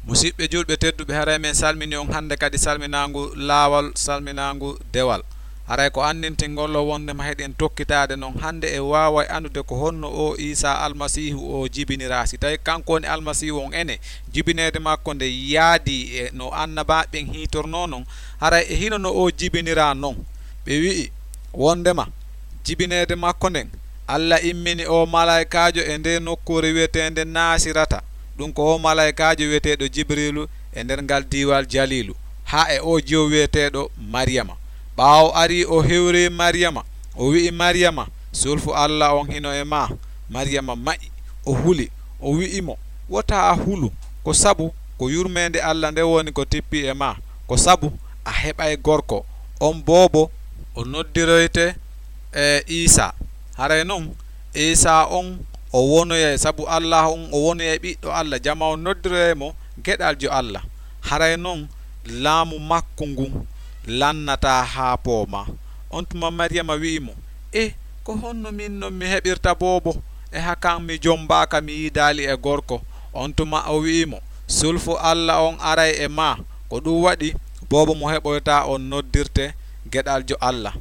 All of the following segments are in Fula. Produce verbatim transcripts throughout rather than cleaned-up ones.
Musiɓɓe julɓe tedduɓe, haray men salmini on hannde kadi salminaangu laawal, salminaangu dewal. Haray ko anndintingol o wonde ma heɗen tokkitaade non hannde e waaway anndude ko honno o Iisaa Almasiihu o jibiniraa. Si tawi kanko woni Almasiihu on ene, jibineede makko nde yaadii e no annabaaɓe ɓen hiitornoo non, haray e hino no o jibiniraa non. Ɓe wi'i wondema jibineede makko nden, Alla immini o malaykaajo e ndee nokkuure wi'eteende Naasirata. Ɗun ko o malaykaajo wi'eteeɗo Jibriilu e nder ngal diiwal Jaliilu, haa e oo jiwo wi'eteeɗo Mariyama. Ɓaawo arii o hewrii Mariyama, o wi'i Mariyama, sulfu Alla on hino e maa. Mariyama ma'i, o huli, o wi'i mo, wota a hulu, ko sabu ko yurmeende Alla nden woni ko tippii e maa, ko sabu a heɓay gorko, on boobo o noddiroyte e Iisaa. Haray non Iisaa on o wonoyay, sabu Alla on o wonoyay ɓiɗɗo Alla, jama on noddiroyay mo geɗaljo Alla. Haray non laamu makko ngun lannataa haa poomaa. On tuma Mariyama wi'i mo, e ko honno min non mi heɓirta boobo? E hakan mi jombaaka, mi yiidaali e gorko. On tuma o wi'i mo, sulfu Alla on aray e maa. Ko ɗun waɗi boobo mo heɓoytaa on noddirte geɗaljo Alla.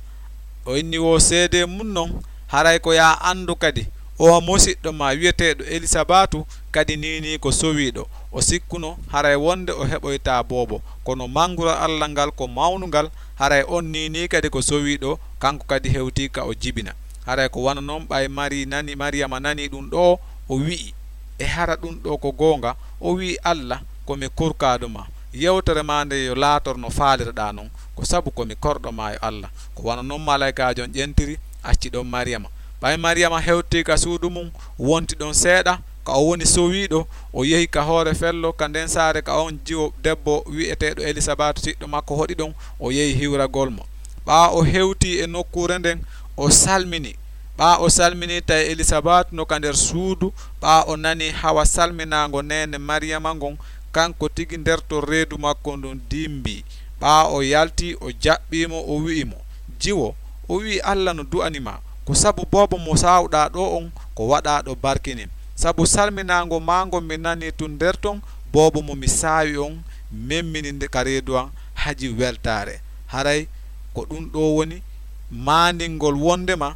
O inni wo seedee mun non, haray ko yo a anndu kadi, o musiɗɗo maa wi'eteeɗo Elisabatu kadi niinii ko sowiiɗo. O sikkuno haray wonde o heɓoytaa boobo, kono manngurol Alla ngal ko mawnungal, haray on niinii kadi ko sowiiɗo, kanko kadi hewtii ka o jibina. Haray ko wano non ɓay Mari nani, Mariyama nanii ɗun ɗoo, o wi'i, e hara ɗun ɗoo ko goonga? O wi'i, Alla, ko mi kurkaado maa. Yewtere maa nden yo laator no faalirɗaa non, ko sabu ko mi korɗo maa yo Alla. Ko wano non malaykaajo on ƴentiri, acci ɗon Mariyama. Ɓay Mariyama hewtii ka suudu mun, wonti ɗon seeɗa, ka o woni sowiiɗo, o yehi ka hoore fello, ka nden saare, ka on jiwo debbo wi'eteeɗo Elisabatu siɗɗo makko hoɗi ɗon, o yehi hiwragol mo. Ɓaa o hewtii e nokkuure nden, o salmini. Ɓaa o salminii, tawi Elisabatu no ka nder suudu, ɓaa o nanii hawa salminaango neene Mariyama ngon, kanko tigi nder ton reedu makko ndun dimbii. Ɓaa o yalti, o jaɓɓii mo, o wi'i mo, jiwo, o wi'i Alla no du'ani maa, ko sabu boobo mo saawɗaa ɗoo on ko waɗaaɗo barkinin. Sabu salminaango maa ngon mi nanii tun nder ton, boobo mo mi saawi on memmini nde ka reedu an haji weltaare. Haray ko ɗun ɗoo woni maandingol wondema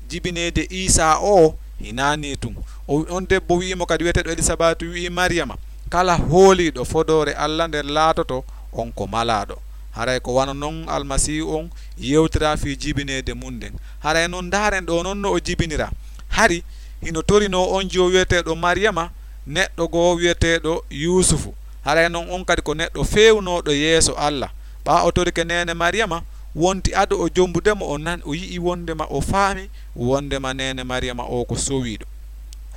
jibineede Iisaa o hinaa nii tun. O, on debbo wi'i mo kadi wi'eteeɗo Elisabatu wi'i Mariyama, kala hooliiɗo fodoore Alla nden laatoto on ko malaaɗo. Haray ko wano non Almasiihu on yewtiraa fii jibineede mun nden. Haray non ndaaren ɗoo non no o jibiniraa. Hari hino torinoo on jiwo wi'eteeɗo Mariyama neɗɗo goo wi'eteeɗo Yuusufu. Haray non on kadi ko neɗɗo feewnooɗo yeeso Alla. Ɓaa o torike neene Mariyama, wonti ado o jombude mo, o nan, o yi'i wondema, o faami wondema neene Mariyama o ko sowiiɗo.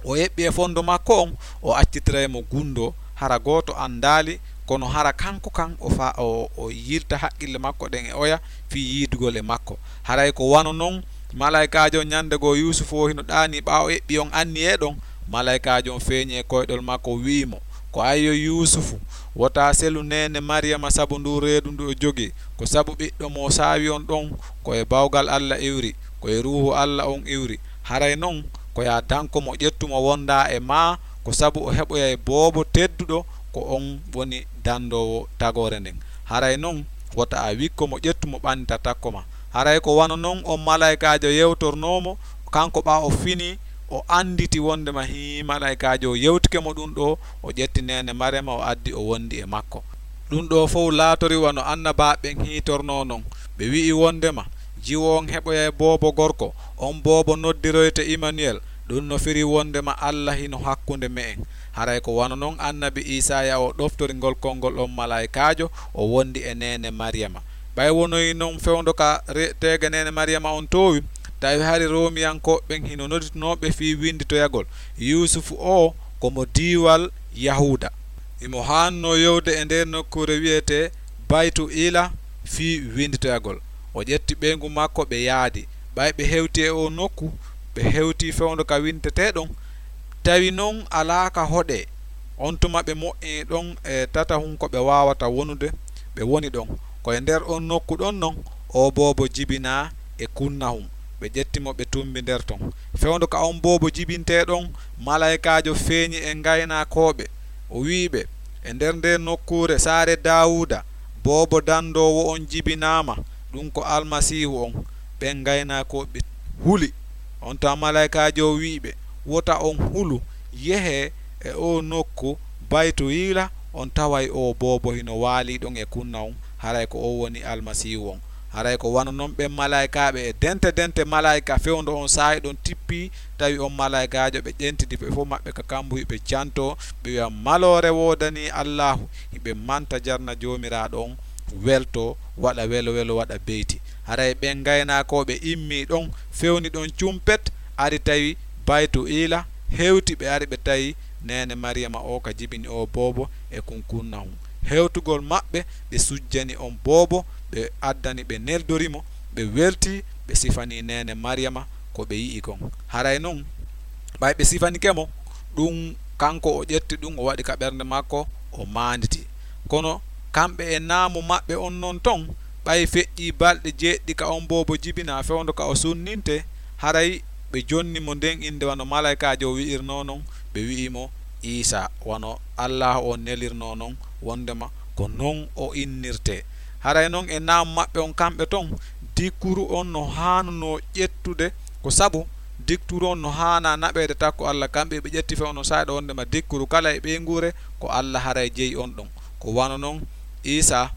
O eɓɓi e fondo makko on, o accitiray mo gundo, hara gooto andaali, kono hara kanko kan o fa-, o, o yilta haqqille makko ɗen e oya fii yiidugol e makko. Haray ko wano non malaykaajo on ñande goo Yuusufu o hino ɗaanii, ɓaa o eɓɓi on anniyee ɗon, malaykaajo on feeñi e koyɗol makko, wi'i mo, ko ayyo Yuusufu, wota selu neene Mariyama sabu nduu reedu ndu o jogii, ko sabu ɓiɗɗo mo saawi on ɗon, ko e bawgal Alla iwri, ko e Ruuhu Alla on iwri. Haray non, ko yo a danko mo, ƴettu mo wondaa e maa, ko sabu o heɓoyay boobo tedduɗo, ko on woni dandoowo tagoore nden. Haray non, wota a wikko mo, ƴettu mo ɓannita takko ma. Haray ko wano non on malaykaajo yewtornoo mo, kanko ɓaa o fini, o annditi wondema hii malaykaajo o yewtike mo ɗun ɗoo, o ƴetti neene Mariyama, o addi, o wondi e makko. Ɗun ɗoo fow laatori wano annabaaɓe ɓen hiitornoo non. Ɓe wi'i wondema, jiwo on heɓoyay boobo gorko, on boobo noddiroyte Imanuel, ɗun no firi wondema Alla hino hakkunde me'en. Haray ko wano non annabi Iisaaya o ɗoftori ngol konngol on malaykaajo, o wondi e neene Mariyama. Ɓay wonoyi non fewndo ka re-, teege neene Mariyama on toowi, tawi hari Roomiyankooɓe ɓen hino nodditunoo ɓe fii winnditoyagol Yuusufu o ko mo diiwal Yahuuda. Himo haannoo yowde e nder nokkuure wi'etee Baytu Iila fii winnditoyagol. O ƴetti ɓeyngu makko, ɓe yaadi. Ɓay ɓe hewtii e oo nokku, ɓe hewtii fewndo ka winntetee ɗon, tawi non alaa ka hoɗee. On tuma ɓe moƴƴini ɗon e tatahun ko ɓe waawata wonude, ɓe woni ɗon. Ko e nder on nokku ɗon non, oo boobo jibinaa e kunnahun. Ɓe ƴetti mo, ɓe tumbi nder ton. Fewndo ka on boobo jibintee ɗon, malaykaajo feeñi e ngaynaakooɓe. O wi'i ɓe, E nder nde nokkuure, saare Daawuda, boobo dandoowo on jibinaama, ɗum ko Almasiihu on. Ɓen ngaynaakooɓe huli. On tawa malaa'ikaajo on wi'i ɓe, "Wota on hulu, yehee e oo nokku Baytuyiila, on taway oo boobo hino waalii ɗon e kunna on, haray ko on woni Almasiihu on." Haray ko wano non ɓen malaa'ikaaɓe e dente dente malaa'ika fewndo on saa'i ɗon tippii, tawi on malaa'ikaajo ɓe ƴentidi ɓe fow maɓɓe ka kambuhi ɓe jantoo, ɓe wi'a, "Maloore woodanii Allaahu, hiɓe manta jarna Joomiraaɗo on, weltoo, waɗa welo welo, waɗa beyti." Haray ɓen ngaynaakooɓe immii ɗon, fewni ɗon cumpet, ari tawi Baytuyiila, hewti ɓe ari ɓe tawi neene Mariyama o ka jibini o boobo e kunkunna on. Hewtugol maɓɓe, ɓe sujjani on boobo, ɓe addani ɓe neldori mo, ɓe weltii, ɓe sifanii neene Mariyama ko ɓe yi'i kon. Haray non, ɓay ɓe sifanike mo, ɗum kanko o ƴetti ɗum, o waɗi ka ɓernde makko, o maanditi. Kono kamɓe e naamu maɓɓe on non ton, ɓay feƴƴii balɗe jeeɗiɗi ka on boobo jibinaa fewndo ka o sunninte, haray ɓe jonni mo nden innde wano malaa'ikaajo o wi'irnoo non, ɓe wi'i mo Iisaa, wano Allaahu on nelirnoo non, wondema ko non o innirtee. Haray non e naamu maɓɓe on kamɓe ton, dikkuru on no haanunoo ƴettude, ko sabu dikkuru on no haanaa naɓeede takko Alla. Kamɓe ɓe ƴetti fewndo saa'i ɗoo wondema dikkuru kala e ɓeynguure ko Alla haray jeyi on ɗon. Ko wano non Iisaa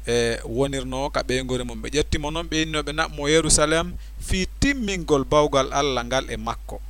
e wonirnoo ka ɓeynguure mum. Ɓe ƴetti mo non, ɓe inni no ɓe naɓ mo Yerusaleem fii timmingol bawgal Alla ngal e makko.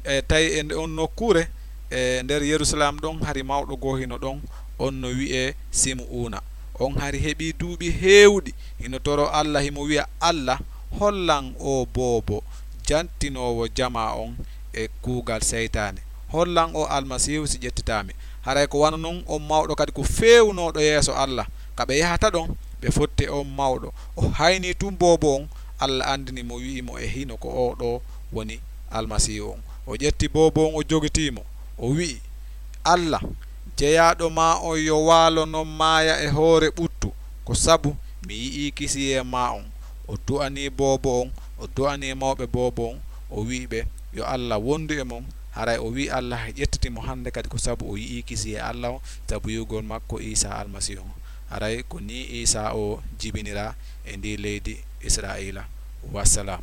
E tawi e nde on nokkuure, e nder Yerusaleem ɗon, hari mawɗo goo hino ɗon, on no wi'ee Simu'uuna. On hari heɓii duuɓi heewuɗi, hino toroo Alla, himo wi'a, "Alla, hollan oo boobo jantinoowo jamaa on e kuugal seytaane. Hollan oo Almasiihu si ƴettitaa mi." Haray ko wano non on mawɗo kadi ko feewunooɗo yeeso Alla. Ka ɓe yahata ɗon, ɓe fotti e on mawɗo. O haynii tun boobo on, Alla andini mo, wi'i mo e hino ko oo ɗoo woni Almasiihu on. O ƴetti boobo on, o jogitii mo. O wi'i, "Alla, jeyaaɗo maa on yo waalo non maaya e hoore ɓuttu, ko sabu mi yi'ii kisiyee maa on." O du'anii boobo on, o du'anii mawɓe boobo on, o wi'i ɓe, "Yo Alla wondu e mon." Haray o wi'i Alla ƴettiti mo hande kadi ko sabu o yi'ii kisiyee Alla on, sabu yi'ugol makko Iisaa Almasiihu on. Haray ko nii Iisaa o jibiniraa e ndii leydi Israa'iila. Wassalam.